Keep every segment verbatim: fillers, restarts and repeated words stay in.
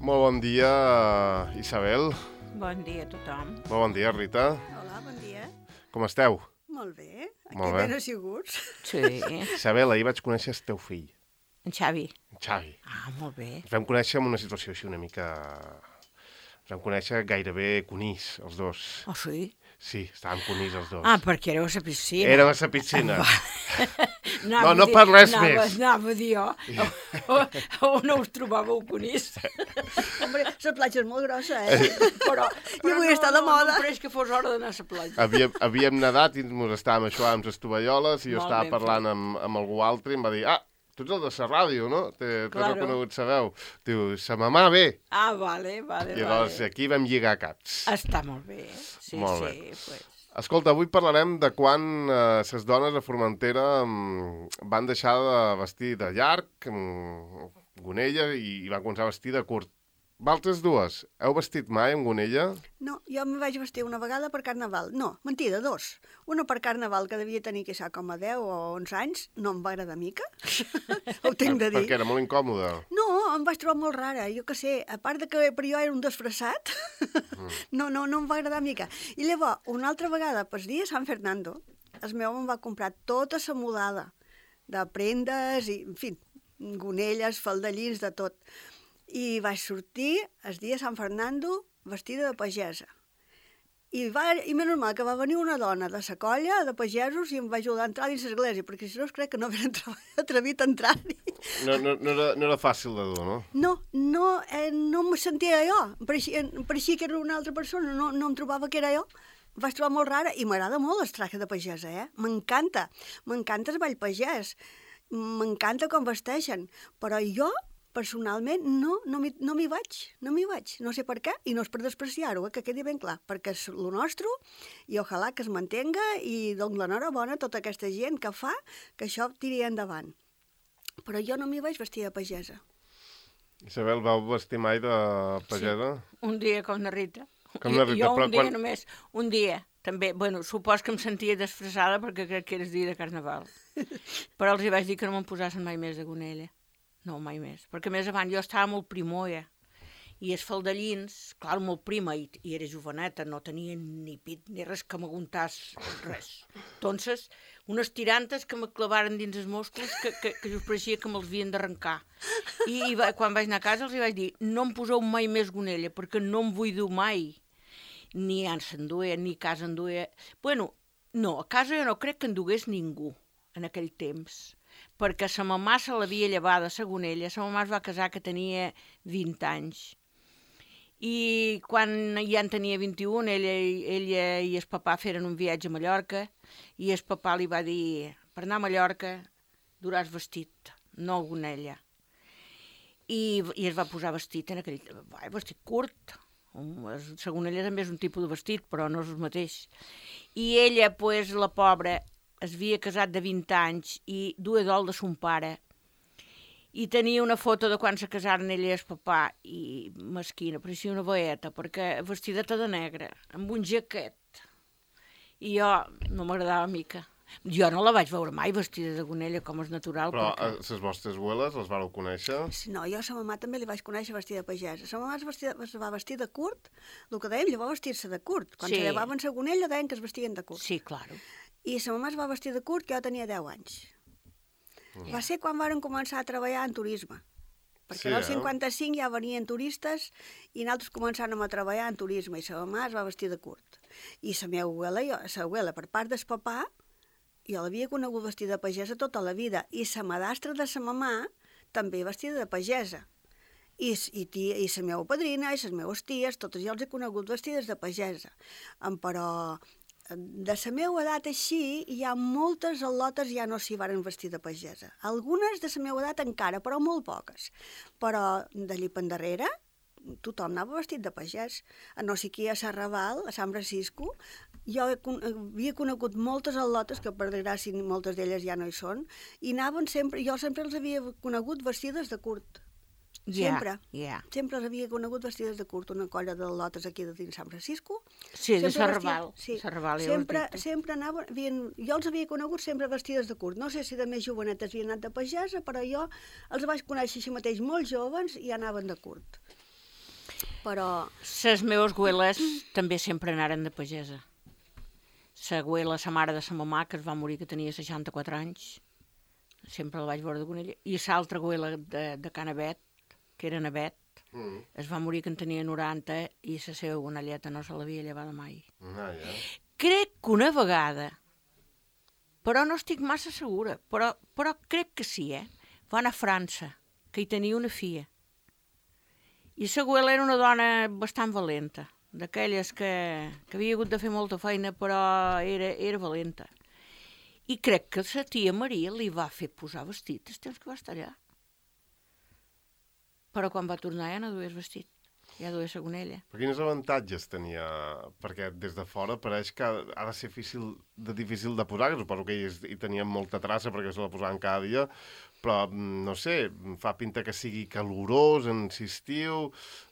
Molt bon dia, Isabel. Bon dia a tothom. Molt bon dia, Rita. Hola, bon dia. Com esteu? Molt bé. Aquí Molt bé. ben assiguts. Sí. Isabel, ahir vaig conèixer el teu fill, En Xavi. en Xavi. Ah, molt bé. Ens vam conèixer en una situació així una mica... Ens vam conèixer gairebé conís, els dos. Oh, sí? Sí, estàvem conís els dos. Ah, perquè éreu a la piscina. Érem a la piscina. Anava No, no a dir- per res anava, més. Anava a dir jo, on us trobàveu conís? Hombre, la platja és molt grossa, eh? Però, I avui està de no, moda. No, no pareix que fos hora d'anar a la platja. Havíem, havíem nedat i ens estàvem aixuant amb les tovalloles i jo Molt estava ben parlant amb, amb algú altre i em va dir, ah, tu ets el de la ràdio, no? T'he Claro. reconegut sa veu. Diu, sa mamà ve. Ah, vale, vale, I llavors vale. aquí vam lligar caps. Està molt bé. Sí, Molt sí, bé. pues. Escolta, avui parlarem de quan les eh, dones a Formentera mm, van deixar de vestir de llarg, mm, gonella, i, i van començar a vestir de curt. Valtres dues, heu vestit mai amb gonella? No, jo em vaig vestir una vegada per Carnaval. No, mentida, dos. Una per Carnaval, que devia tenir, que sa, com a deu o onze anys. No em va agradar mica. Ho tinc de dir. Perquè era molt incòmode. No, em vaig trobar molt rara, jo que sé, a part de que per jo era un disfressat, no, no, no em va agradar mica. I llavors, una altra vegada, pel dia de Sant Fernando, el meu em va comprar tota la mudada de prendes, i, en fi, gonelles, faldellins, de tot. I vaig sortir el dia de Sant Fernando vestida de pagesa. I, va, i menys mal que va venir una dona de la colla de pagesos i em va ajudar a entrar dins l'església, perquè si no es crec que no havien atrevit a entrar-hi. No, no, no, era, no era fàcil de dur, no? No, no, eh, no em sentia jo, em pareixia, em pareixia que era una altra persona, no, no em trobava que era jo. Em vaig trobar molt rara i m'agrada molt el traje de pagesa, eh? M'encanta, m'encanta el ball pagès, m'encanta com vesteixen, però jo, personalment, no, no m'hi no m'hi vaig, no m'hi vaig, no sé per què, i no és per despreciar-ho, eh, que quedi ben clar, perquè és el nostre, i ojalà que es mantenga, i doncs l'enhorabona a tota aquesta gent que fa que això tiri endavant. Però jo no m'hi vaig vestir de pagesa. Isabel, vau vestir mai de pagesa? Sí, un dia com la Rita. Com la Rita, jo, jo però un dia quan- només, un dia, també. Bueno, supos que em sentia desfressada perquè crec que era el dia de Carnaval. Però els hi vaig dir que no me'n posassin mai més de gonella. No, mai més. Perquè més avant jo estava molt primoia. I els faldellins, clar, molt prima, i, i era joveneta, no tenia ni pit ni res que m'aguantàs, res. Entonces, unes tirantes que me clavaren dins els muscles que, que, que us pareixia que me'ls havien d'arrencar. I, i va, quan vaig anar a casa els hi vaig dir, no em poseu mai més gonella, perquè no em vull dur mai. Ni ans s'enduia, ni a casa enduia. Bueno, no, a casa jo no crec que endugués ningú en aquell temps, perquè sa mamà se l'havia llevada a la gonella, sa mamà es va casar que tenia vint anys. I quan ja en tenia vint-i-un, ella, ella i el papà feren un viatge a Mallorca, i el papà li va dir, per anar a Mallorca duràs vestit, no gonella. I, i es va posar vestit en aquell... Va, vestit curt. La gonella també és un tipus de vestit, però no és el mateix. I ella, pues, la pobra, es havia casat de vint anys i duia dol de son pare. I tenia una foto de quan se casaren ella i el papà, i mesquina, pareixia una boeta, perquè vestideta de negre, amb un jaquet. I jo no m'agradava mica. Jo no la vaig veure mai vestida de gonella, com és natural. Però perquè... les vostres abueles les vareu conèixer? No, jo a sa mamà també li vaig conèixer vestida de pagesa. Sa mamà es, vestida, es va vestir de curt, el que dèiem, llavors vestir-se de curt. Quan Sí. se llevaven sa gonella deien que es vestien de curt. Sí, claro. I sa mamà es va vestir de curt, que jo tenia deu anys. Mm. Va ser quan varen començar a treballar en turisme. Perquè Sí, en el eh? cinquanta-cinc ja venien turistes i nosaltres començàvem a treballar en turisme i sa mamà es va vestir de curt. I sa meva abuela, jo, sa abuela, per part del papà, jo l'havia conegut vestida de pagesa tota la vida, i sa madastra de sa mamà també vestida de pagesa. I, i, tia, i sa meva padrina i les meves ties, totes jo els he conegut vestides de pagesa. Em, però de la meva edat així, hi ha moltes al·lotes ja no s'hi varen vestir de pagesa. Algunes de la meva edat encara, però molt poques. Però d'allí per endarrere, tothom anava vestit de pagès. A no sé qui a Sarraval, a San Francisco, jo he, havia conegut moltes al·lotes, que per desgràcia moltes d'elles ja no hi són, i anaven sempre, jo sempre els havia conegut vestides de curt. Sempre. Yeah, yeah. Sempre els havia conegut vestides de curt, una colla de lotes aquí de dins San Francisco. Sí, de Sempre Sarraval. vestia- sí, Sarraval, ja ho has sempre, dit. sempre anaven, havien, jo els havia conegut sempre vestides de curt. No sé si de més jovenetes havien anat de pagesa, però jo els vaig conèixer així mateix molt joves i anaven de curt. Però... Les meves abueles també sempre anaren de pagesa. La abuela, la mare de la mamà, que es va morir que tenia seixanta-quatre anys, sempre la vaig veure de Gonella, i l'altra abuela de, de Canavet, que era Navet, mm. es va morir que en tenia noranta i la seva gonelleta no se l'havia llevada mai. Ah, ja. Crec que una vegada, però no estic massa segura, però, però crec que sí, eh? Va anar a França, que hi tenia una filla. I la abuela era una dona bastant valenta, d'aquelles que, que havia hagut de fer molta feina, però era, era valenta. I crec que la tia Maria li va fer posar vestit el temps que va estar allà. Però quan va tornar ja no dues vestit, ja dues la gonella. Però quins avantatges tenia? Perquè des de fora pareix que ha de ser difícil de, difícil de posar, que suposo que ells hi tenien molta traça perquè se la posaven cada dia, però, no sé, fa pinta que sigui calorós en l'estiu,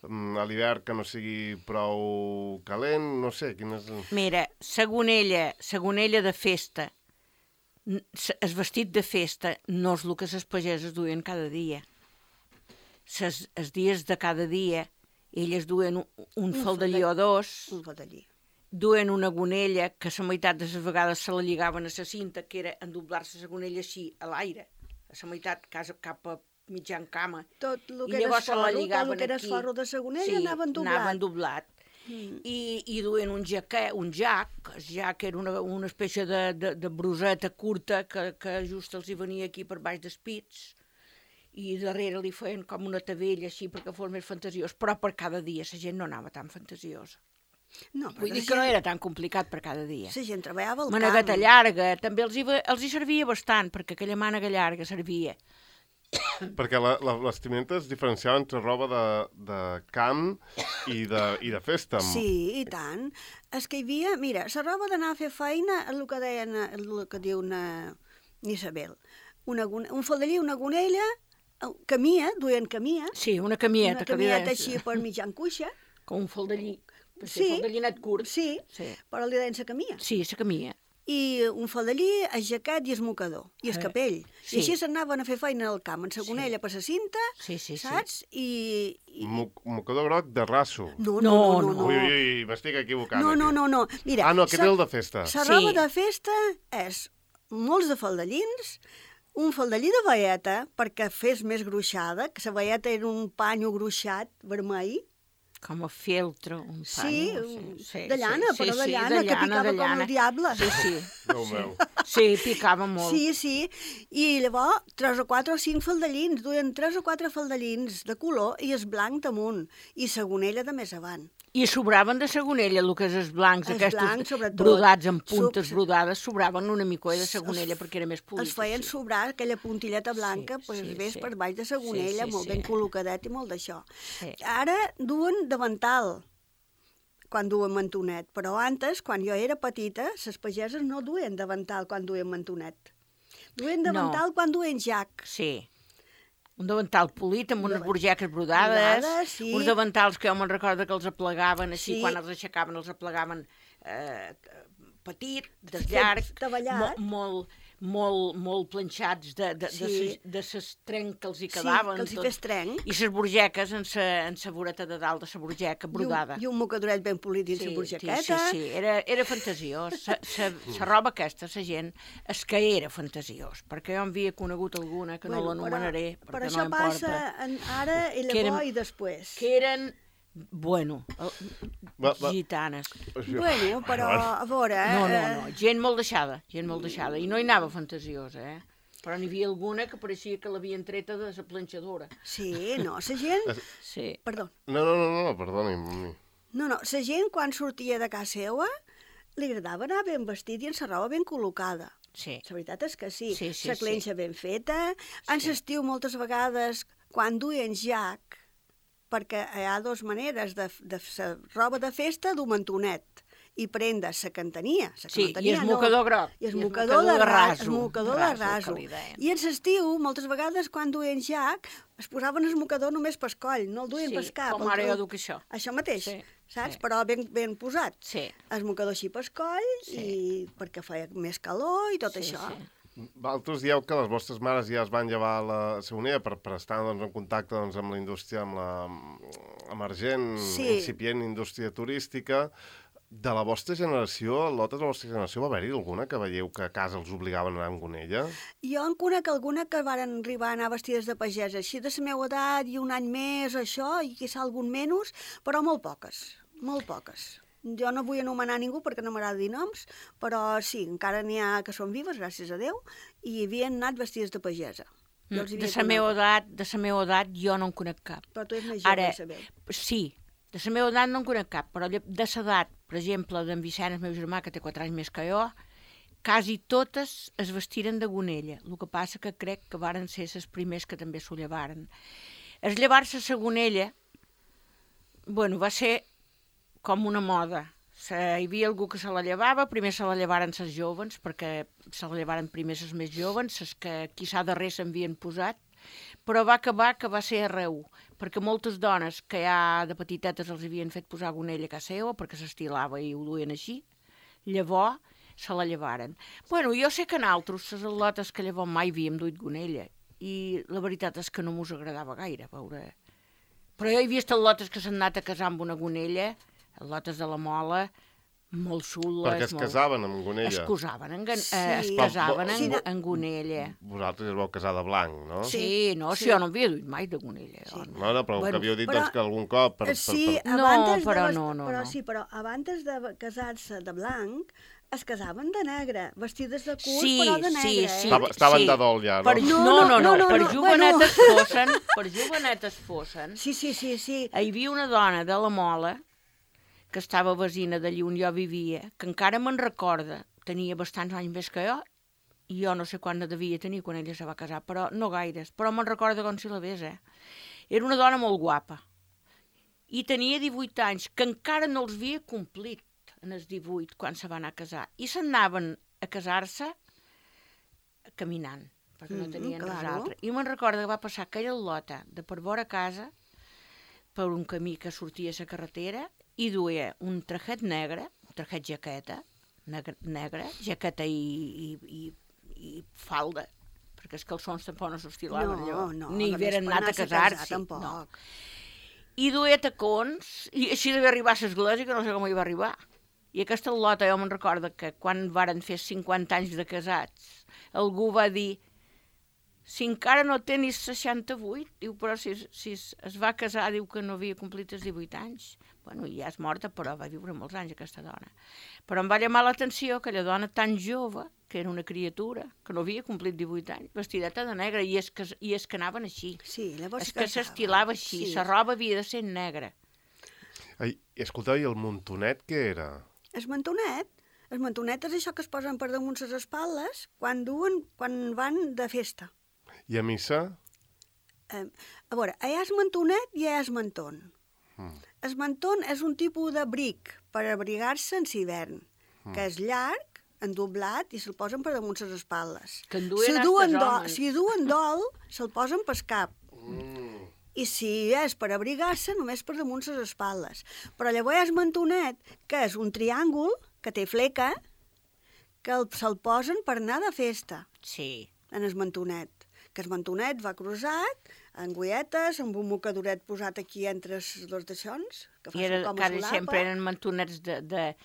a l'hivern que no sigui prou calent, no sé, quines... Mira, la gonella, la gonella de festa, el vestit de festa no és el que les pageses duien cada dia. Ses, els dies de cada dia, elles duen un, un, un faldellí o dos, un faldellí. Duen una gonella que la meitat de les vegades se la lligaven a la cinta, que era endoblar-se la gonella així a l'aire, a la meitat cap a mitjan cama. Tot el que I llavors era se la esforro, lligaven tot el que era aquí. esforro de la gonella Sí, anava endoblat. anava endoblat. Mm. I, i duen un jaquet, un jac, el jac era una, una espècie de, de, de bruseta curta que, que just els hi venia aquí per baix dels pits, i darrere li feien com una tabella així perquè fos més fantasiós, però per cada dia la gent no anava tan fantasiosa. No, Vull dir que no era tan complicat per cada dia. La gent treballava al camp. Manegata llarga, també els hi, els hi servia bastant, perquè aquella mànega llarga servia. Perquè la, la, les vestimenta es diferenciava entre roba de, de camp i de, i de festa. Sí, i tant. És que hi havia, mira, la roba d'anar a fer feina, el que deien, el que diu una Isabel, una, un faldellí, una gonella, camia, duien camia. Sí, una camieta. Una camieta així per mitjan cuixa. Com un faldellí. Sí, un faldallinet curt. Sí, sí, però li deien la camia. Sí, la camia. I un faldellí, el jaquet i el mocador, i el capell. Sí. I així s'anaven a fer feina al camp, en la gonella, sí. per la cinta, sí, sí, saps? Sí. I... i... Mo mocador groc de raso. No, no, no. no, no. Ui, ui, ui, m'estic equivocant. No, no, aquí. no, no. Mira, ah, no, aquest és el de festa. La roba Sí. de festa és molts de faldellins, un faldellí de veieta, perquè fes més gruixada, que la veieta era un panyo gruixat, vermell. Com a feltro, un Sí, panyo. sí, de llana, sí, però de sí, llana, de que llana, picava de com el diable. Sí, sí. Déu meu. Sí, picava molt. Sí, sí. I llavors, tres o quatre o cinc faldellins, duien tres o quatre faldellins de color i es blanc damunt, i la gonella de més avant. I sobraven de sagonella, el que és els blancs, Els aquests blancs, sobretot. brodats amb puntes Sub- brodades, sobraven una mica de sagonella perquè era més polit. Es feien sí. sobrar aquella puntilleta blanca, Sí, pues, sí, ves sí. per baix de la gonella, Sí, sí, molt sí. ben col·locadet i molt d'això. Sí. Ara duen davantal, quan duen mantonet, però antes, quan jo era petita, les pageses no duen davantal quan duen mantonet. Duen davantal No. quan duen jac. Sí. Un davantal polit amb unes Davant- borgeques brodades, brodades, sí. uns davantals que jo me'n recordo que els aplegaven així, Sí. quan els aixecaven els aplegaven eh, petit, Fet desllarg, davallat. mo molt, molt, molt planxats de, de, de, Sí. ses, de ses trenc que els hi Sí, quedaven. que els hi tot. fes trenc. I ses borgeques en sa, en sa voreta de dalt de sa borgeca brodada. I un, i un mocadoret ben polit dins Sí, la borjaqueta. Sí, sí, sí, era, era fantasiós. Sa, sa, sa roba aquesta, sa gent, és que era fantasiós, perquè jo en havia conegut alguna que no l'anomenaré, però, perquè però no això passa importa. en, ara i Que llavors eren- i després. Que eren, bueno, el- Va, va. gitanes. Bueno, però a veure... eh, No, no, no, gent molt deixada, gent molt deixada. I no hi anava fantasiosa, eh? Però n'hi havia alguna que pareixia que l'havien treta de la planxadora. Sí, no, la gent... Sí. Perdó. No, no, no, no, perdoni. No, no, la gent quan sortia de casa seva li agradava anar ben vestit i amb la roba ben col·locada. Sí. La veritat és que sí. Sí, sí, la clenxa sí. ben feta. En l'estiu moltes vegades, quan duien jac, perquè hi ha dues maneres de, de la roba de festa dur mantonet i prendre la que en tenia. La que Sí, no en tenia, i el mocador no. groc. I el mocador de raso. El mocador de Raso, raso. que li deien. I en l'estiu, moltes vegades, quan duien jac, es posaven el mocador només pel coll, no el duien Sí, pel cap. com el- ara jo duc això. Això mateix, Sí, saps? sí. Però ben, ben posat. Sí. El mocador així pel coll, Sí. i perquè feia més calor i tot Sí, això. sí. Vosaltres dieu que les vostres mares ja es van llevar a la Saonera per, per estar doncs, en contacte doncs, amb la indústria, amb la emergent, Sí. incipient indústria turística. De la vostra generació, lotes de la vostra generació, va haver-hi alguna que veieu que a casa els obligaven a anar amb gonella? Jo en conec alguna que varen arribar a anar vestides de pagès, així de la meva edat i un any més, això, i quizà algun menys, però molt poques, molt poques. Jo no vull anomenar ningú perquè no m'agrada dir noms, però sí, encara n'hi ha que són vives, gràcies a Déu, i havien anat vestides de pagesa. Jo els hi De havia la meva conegut. edat, de la meva edat, jo no en conec cap. Però tu ets més jove, Ara, sabeu. sí, de la meva edat no en conec cap, però lle- de l'edat, per exemple, d'en Vicent, el meu germà, que té quatre anys més que jo, quasi totes es vestiren de gonella. El que passa que crec que varen ser les primers que també s'ho llevaren. Es llevar-se la gonella, bueno, va ser com una moda. Se, hi havia algú que se la llevava, primer se la llevaren les joves, perquè se la llevaren primer les més joves, les que quizà darrer s'havien posat, però va acabar que va ser arreu, perquè moltes dones que ja de petitetes els havien fet posar gonella a casa seva, perquè s'estilava i ho duien així, llavors se la llevaren. Bueno, jo sé que nosaltres, les al·lotes que llavors mai havíem duit gonella, i la veritat és que no mos agradava gaire veure. Però jo he vist al·lotes que s'han anat a casar amb una gonella, al·lotes de la Mola, molt xules. Perquè es molt... casaven amb gonella. Es casaven en, gan... Sí. eh, es casaven en, Sí, no. en gonella. Vosaltres es vau casar de blanc, no? Sí, Sí, no, sí. si jo no havia duit mai de gonella. Sí. Jo, no. No, no, però Bueno, que havíeu dit però- doncs, que algun cop... Per, per, Sí, per... No, abans de però ves- no, no, però no. sí, però abans de casar-se de blanc, es casaven de negre, vestides de curt, Sí, però de sí, negre, sí. eh? Estava, estaven sí. de dol ja, no? Per... No, No, no, no, no, no, per no, jovenetes fossin, per jovenetes fossin, Sí, sí, sí, sí. hi havia una dona de la Mola, que estava vecina d'allí on jo vivia, que encara me'n recorda, tenia bastants anys més que jo, i jo no sé quan ne devia tenir quan ella se va casar, però no gaires, però me'n recorda com si la ves, eh? Era una dona molt guapa, i tenia divuit anys, que encara no els havia complit en els divuit quan se va anar a casar, i s'anaven a casar-se caminant, perquè no Mhm, tenien res claro. altre. I me'n recorda que va passar aquella lota de per vora casa, per un camí que sortia a la carretera, i duia un trajet negre, un trajet jaqueta, negre, negre jaqueta i, i, i, i falda, perquè els calçons tampoc no s'estilaven No, allò, no, ni a més, havien per anat a anar-se a casar-s'hi. casar, tampoc. No. I duia tacons, i així devia arribar a l'església, que no sé com hi va arribar. I aquesta lota, jo me'n recordo que quan varen fer cinquanta anys de casats, algú va dir, si encara no té ni seixanta-vuit, diu, però si, si es es va casar, diu que no havia complit els divuit anys. Bueno, ja és morta, però va viure molts anys aquesta dona. Però em va llamar l'atenció aquella dona tan jove, que era una criatura, que no havia complit divuit anys, vestideta de negre, i és que, i és que anaven així. Sí, llavors És que s'estilava així, la roba havia de ser negra. Ai, escolteu, i el montonet què era? El mantonet, el mantonet és això que es posen per damunt les espatlles quan duen, quan van de festa. I a missa? Eh, a veure, hi ha el mantonet i hi ha el mantón. Mm. El mantón és un tipus d'abric per abrigar-se en hivern, Mm. que és llarg, endoblat, i se'l posen per damunt les espatlles. Que en duen si, hasta duen els dol, homes. si duen dol, se'l posen pel cap. Mm. I si és per abrigar-se, només per damunt les espatlles. Però llavors hi ha el mantonet, que és un triàngul, que té fleca, que el- se'l posen per anar de festa, Sí. en el mantonet. Que el mantonet va cruzat, en goietes, amb un mocadoret posat aquí entre els dos deixons, que fa I era, com a quasi solapa. sempre eren mantonets de, de,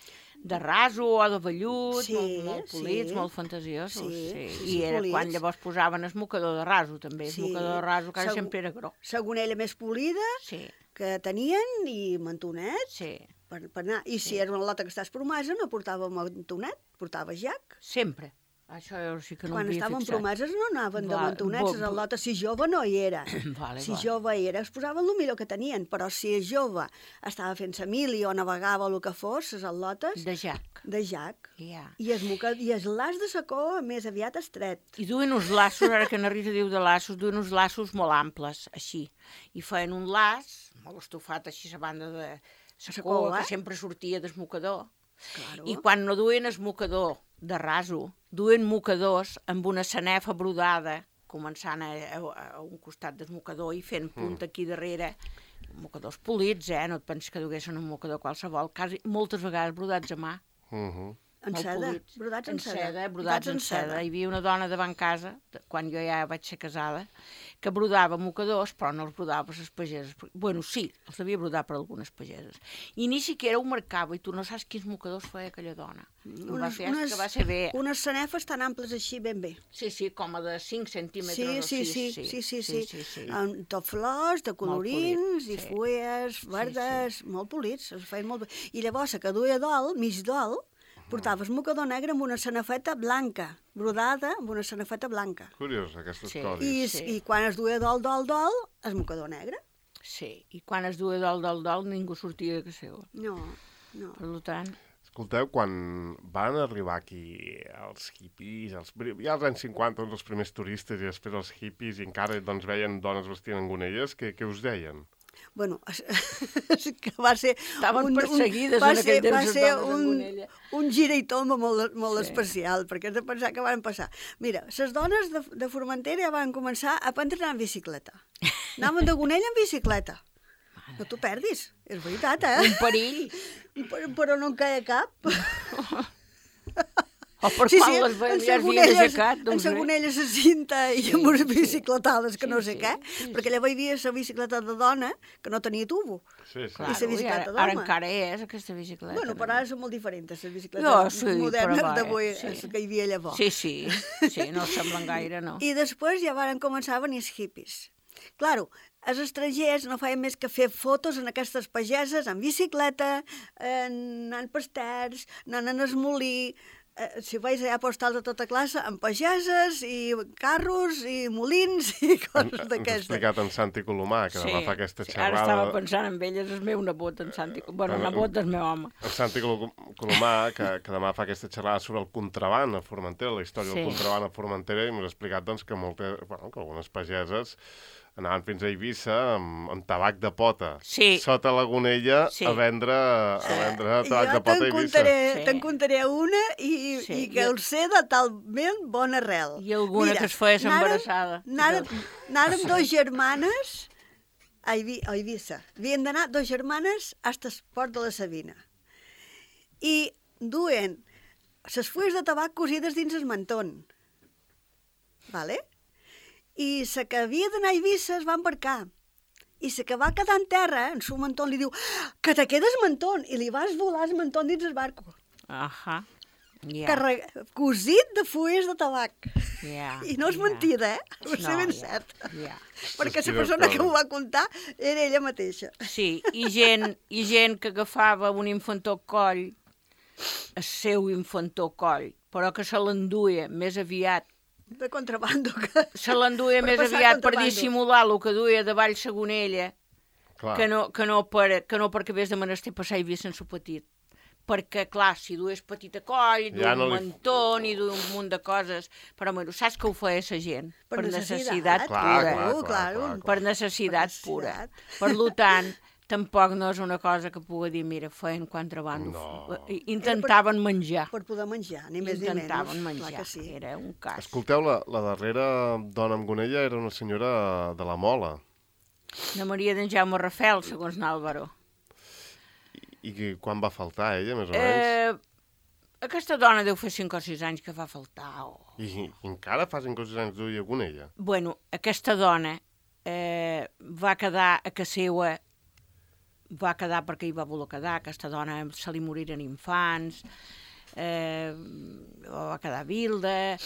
de raso o de vellut, Sí, molt, molt polits, sí. molt fantasiosos. Sí, Sí, sí, I era polits. quan llavors posaven el mocador de raso, també. El Sí. mocador de raso quasi Segur- sempre era gros. La gonella més polida Sí, que tenien i mantonet sí. per, per anar. I si Sí. era una lota que estàs promesa, no portava mantonet, portava jac. Sempre. Això jo sí que no Quan m'havia estaven fixat. promeses no anaven de Va, mantonets, bo- les bo- al·lotes, si jove no hi era. Vale, Si vale. jove hi era, es posaven el millor que tenien, però si és jove estava fent sa mili o navegava o el que fos, les al·lotes, De jac. de jac. Ja. I es, moca... I es l'as de sacó més aviat estret. I duen uns laços, ara que na Rita diu de laços, duen uns laços molt amples, així. I feien un laç, molt estufat així a banda de Sacó, sacó, que eh? sempre sortia del mocador. Claro. I quan no duen el mocador de raso, duen mocadors amb una sanefa brodada, començant a, a, a un costat del mocador i fent punta aquí darrere, mocadors polits, eh? No et pensis que duguessin un mocador qualsevol, quasi moltes vegades brodats a mà. Uh -huh. En molt seda, polits. brodats en En seda. seda, brodats en seda. Hi havia una dona davant casa, de- quan jo ja vaig ser casada, que brodava mocadors, però no els brodava per les pageses. Bueno, sí, els devia brodar per algunes pageses. I ni siquiera ho marcava, i tu no saps quins mocadors feia aquella dona. Ho va fer que va ser bé. Unes sanefes tan amples així, ben bé. Sí, sí, com a de cinc centímetres Sí, o sí, sis. sí, sí, sí, sí, sí, sí. Amb tot flors, de colorins, polit, i sí. fulles verdes, molt polits, es feien molt bé. I llavors, la que duia dol, mig dol, portaves mocador negre amb una sanefeta blanca, brodada amb una sanefeta blanca. Curiós, aquests Sí. codis. I, Sí. I quan es duia dol, dol, dol, el mocador negre. Sí, i quan es duia dol, dol, dol, ningú sortia de casa seva. No, no. Per tant, Escolteu, quan van arribar aquí els hippies, els, ja als anys cinquanta, doncs, els primers turistes i després els hippies, i encara doncs, veien dones vestint en gonelles, què, què us deien? Bueno, és, és que va ser... Estaven perseguides va en ser, aquell temps va les ser dones en un, gonella. un gira i tomba molt, molt Sí. especial, perquè has de pensar que van passar. Mira, les dones de, de Formentera ja van començar a aprendre a anar en bicicleta. Anaven de gonella en bicicleta. No t'ho perdis, és veritat, eh? un perill. Però, però no en caia cap. O per quan les veiem ja havien aixecat, en doncs sa bé. gonella sa cinta i Sí, amb unes sí. bicicletades que Sí, no sé sí, què, sí, perquè llavors hi havia la bicicleta de dona que no tenia tubo. Sí, sí. Claro, I sa bicicleta i ara, ara d'home. encara és aquesta bicicleta. Bueno, però ara són molt diferents, les bicicletes No, sí, modernes però va, d'avui, sí. sí. que hi havia llavors. Sí, sí, sí, no semblen gaire, no. I després ja van començar a venir els hippies. Claro, els estrangers no feien més que fer fotos en aquestes pageses, en bicicleta, anant per terç, anant en el molí, eh, si veus allà postals de tota classe, amb pageses i carros i molins i Ens coses ha d'aquestes. explicat en Santi Colomà, que demà fa aquesta sí, ara estava xerrada. pensant en ell, és el meu nebot, en Santi. Bueno, Però- nebot del meu home. En Santi Colo- Colomà, que, que demà fa aquesta xerrada sobre el contraban a Formentera, la història Sí. del contraban a Formentera, i m'ha explicat doncs, que, moltes, bueno, que algunes pageses anaven fins a Eivissa amb, amb tabac de pota, Sí. sota la gonella, Sí. a vendre, a vendre tabac Jo de pota a te'n Eivissa. contaré, Sí. te'n contaré una i, Sí, i que jo- el sé de talment bona arrel. I alguna que es feia embarassada. Anàrem dos germanes a, Eivi, a Eivissa. Havien d'anar dos germanes fins al port de la Sabina. I duen les fulles de tabac cosides dins el mantón. Vale? I la que havia d'anar a Eivissa es va embarcar. I la que va quedar en terra, en su mantón, li diu que te quedes mantón, i li vas volar el mantón dins el barco. Ahà, ja. Carreg... Cosit de fulles de tabac. Ja, I no és ja. mentida, eh? Va ser No, ben ja, cert. ja. Perquè Quina la persona que cosa. ho va contar era ella mateixa. Sí, i gent, i gent que agafava un infantó al coll, el seu infantó al coll, però que se l'enduia més aviat, De contrabando. Que... se l'enduia Per més passar aviat per contrabando. dissimular el que duia davall sa gonella, Clar. que no, que, no per, que no perquè hagués de menester passar i havia sense petit. Perquè, clar, si dues petit a coll, duia Ja un no li- mantó, i duia un munt de coses, però, bueno, saps que ho feia sa gent? Per necessitat. necessitat Clar, pura. clar, Claro, clar, claro. clar, clar. Per necessitat Per pura. necessitat. Per lo tant, tampoc no és una cosa que pugui dir, mira, feien contrabando. No. I- Intentaven menjar. Per poder menjar, ni més ni menys. Intentaven Clar menjar. que sí. Era un cas. Escolteu, la, la darrera dona amb gonella era una senyora de la Mola. La Maria d'en Jaume Rafel, segons n'Àlvaro. I, I quan va faltar ella, més o menys? Eh, aquesta dona deu fer cinc o sis anys que va faltar. O... I, I encara fa cinc o sis anys duia gonella. Bueno, aquesta dona eh, va quedar a casa seva, va quedar perquè hi va voler quedar, aquesta dona se li moriren infants, eh, va quedar vilda.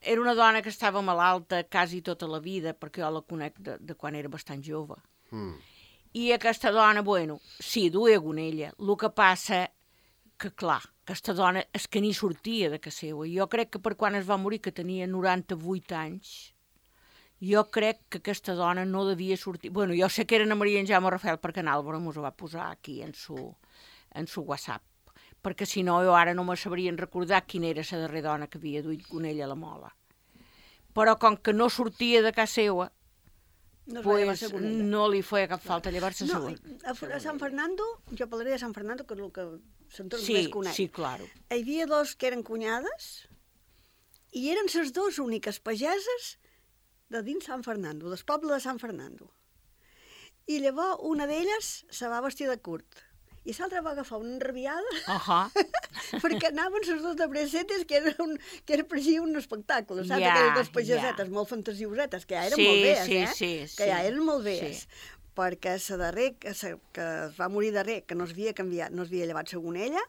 Era una dona que estava malalta quasi tota la vida, perquè jo la conec de, de quan era bastant jove. Mm. I aquesta dona, bueno, sí, duia gonella. El que passa que, clar, aquesta dona és que ni sortia de casa seva. Jo crec que per quan es va morir, que tenia noranta-vuit anys, jo crec que aquesta dona no devia sortir... Bueno, jo sé que era Ana Maria en Jaume Rafel perquè en Álvaro mos ho va posar aquí en su, en su WhatsApp, perquè si no jo ara no me sabrien recordar quina era la darrera dona que havia duit gonella a la mola. Però com que no sortia de casa seva, No es va llevar pues, sa gonella. no li feia cap falta llevar-se No, segon. a, a Sant Fernando, jo parlaré de Sant Fernando, que és el que s'entorn Sí, més conec. sí, claro. Hi havia dos que eren cunyades i eren les dues úniques pageses de dins Sant Fernando, del poble de Sant Fernando. I llavors una d'elles se va vestir de curt I l'altre va agafar una enrabiada Uh -huh. perquè anaven les dues de bresetes, que era, un, que era parecia un espectacle, saps? Ja, Aquelles dues pagesetes ja. molt fantasiosetes, que ja eren Sí, molt bees, sí, eh? sí, que ja sí. eren molt bees. Sí. Perquè la darrer, que, sa, que es va morir darrer, que no es havia canviat, no es havia llevat segons ella,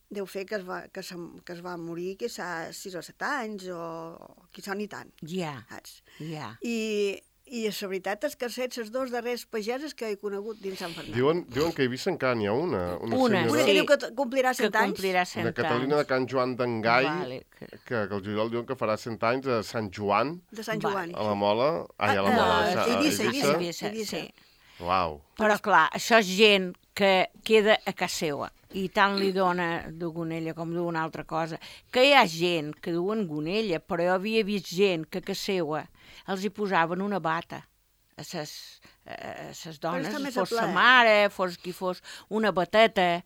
deu fer que es va, que se, que es va morir quizà sis o set anys, o quizà ni tant, Ja, saps? ja. I, i la veritat és que set les dos darreres pageses que he conegut dins Sant Fernand. Diuen, diuen que a Eivissa encara n'hi ha una. Una, Una, senyora, Una sí. que diu que t- complirà Que cent anys. complirà cent una Catalina de anys. Can Joan d'Engai, Vale, que... que, que el juliol diuen que farà cent anys a Sant Joan, De Sant Vale. Joan. a la Mola. Ai, a la Ah, Mola. ah, a Sa- a Eivissa, Eivissa. Eivissa. Eivissa, sí. Uau. Però, clar, això és gent que queda a casa seva i tant li dona de gonella com d'una altra cosa. Que hi ha gent que duen gonella, però jo havia vist gent que a casa seva els hi posaven una bata a ses, a ses dones, està més fos a sa plaer. mare, fos qui fos, una bateta,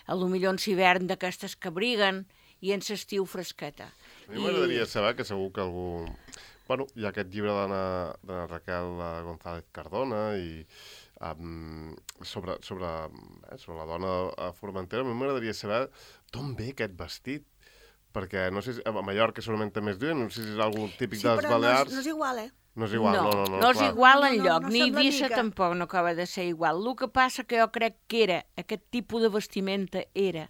a lo millor en l'hivern d'aquestes que abriguen i en l'estiu fresqueta. A mi m'agradaria saber que segur que algú... Bueno, hi ha aquest llibre d'Anna de Raquel eh, González Cardona i um, sobre, sobre, eh, sobre la dona a Formentera. A mi m'agradaria saber d'on ve aquest vestit, perquè no sé si a Mallorca segurament també es diuen, no sé si és algun típic Sí, de les però no és, Balears. no és igual, eh? No és igual, no, no, no. no és clar. igual No, no, enlloc, no ni sembla Eivissa mica. tampoc no acaba de ser igual. El que passa que jo crec que era, aquest tipus de vestimenta era,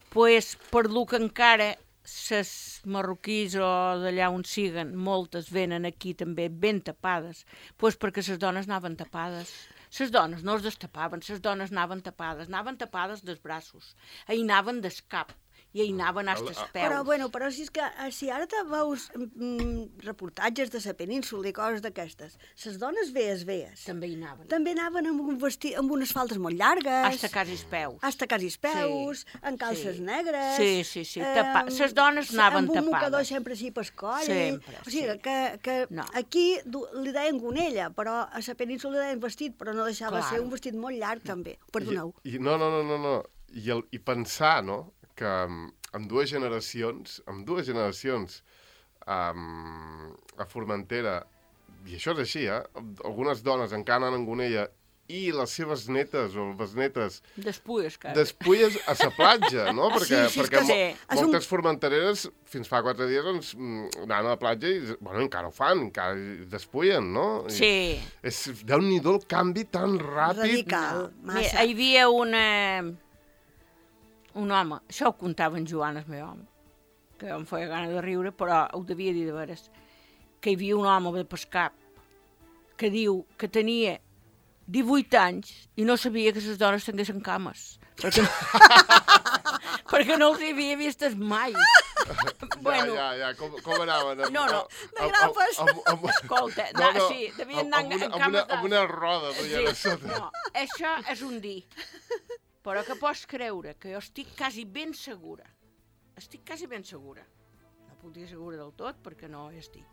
pues, per lo que encara ses marroquís o d'allà on siguen, moltes venen aquí també ben tapades, pues perquè les dones anaven tapades. Les dones no es destapaven, les dones anaven tapades, anaven tapades dels braços, hi anaven del cap, i hi anaven als peus. Però, bueno, però si és que eh, si ara te veus mm, reportatges de la península i coses d'aquestes, les dones vees, vees, També hi anaven. també anaven amb, un vestit, amb unes faldes molt llargues, Hasta quasi els peus. hasta quasi els peus, Sí, amb calces sí. negres... Sí, sí, sí, tapa- ses dones anaven Amb un tapades. mocador sempre així pel coll... Sempre, O sigui, sí. que, que No. aquí du, li deien gonella, però a la península li deien vestit, però no deixava Clar. ser un vestit molt llarg, també. Perdoneu. I, i, no, no, no, no, no. I, el, I pensar, no?, que um, amb dues generacions, amb dues generacions um, a Formentera, i això és així, eh? Algunes dones encara anen amb gonella i les seves netes o besnetes Despulles, cara. despulles a la platja, no? Perquè, Sí, sí, és perquè que mo sí. És un- moltes formentereres fins fa quatre dies doncs, mm, anaven a la platja i, bueno, encara ho fan, encara es despullen, no? I Sí. És, Déu-n'hi-do el canvi tan ràpid. Radical, Mira, massa. hi havia una... un home, això ho contava en Joan, el meu home, que em feia gana de riure, però ho devia dir de veres, que hi havia un home de pescar que diu que tenia divuit anys i no sabia que les dones tinguessin cames, perquè no, perquè no els havia vistes mai. Bueno, Ja, ja, ja, com, com anaven? Amb, No, no, de grapes. Amb, amb, amb, escolta, no, no, no, sí, devien amb, anar amb, una, en amb, una, cames de... amb una roda duien a Sí, sota. no, això és un dir. Però que pots creure que jo estic quasi ben segura, estic quasi ben segura, no puc dir segura del tot perquè no hi estic,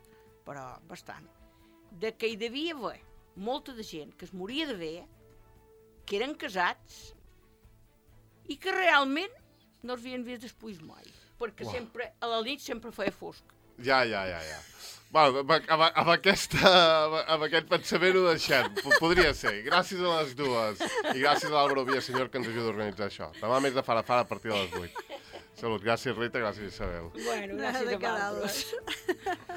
però bastant, de que hi devia haver molta de gent que es moria de ver, que eren casats i que realment no els havien vist després mai, perquè Uau. sempre, a la nit sempre feia fosc. Ja, ja, ja, ja. Bueno, amb, amb, amb, aquesta, amb aquest pensament ho deixem. P- Podria ser. Gràcies a les dues. I gràcies a l'Àlvaro Villasenyor que ens ajuda a organitzar això. Demà més de fara fara a partir de les vuit. Salut. Gràcies, Rita. Gràcies, Isabel. Bueno, Nada gràcies de a vosaltres. quedar-les.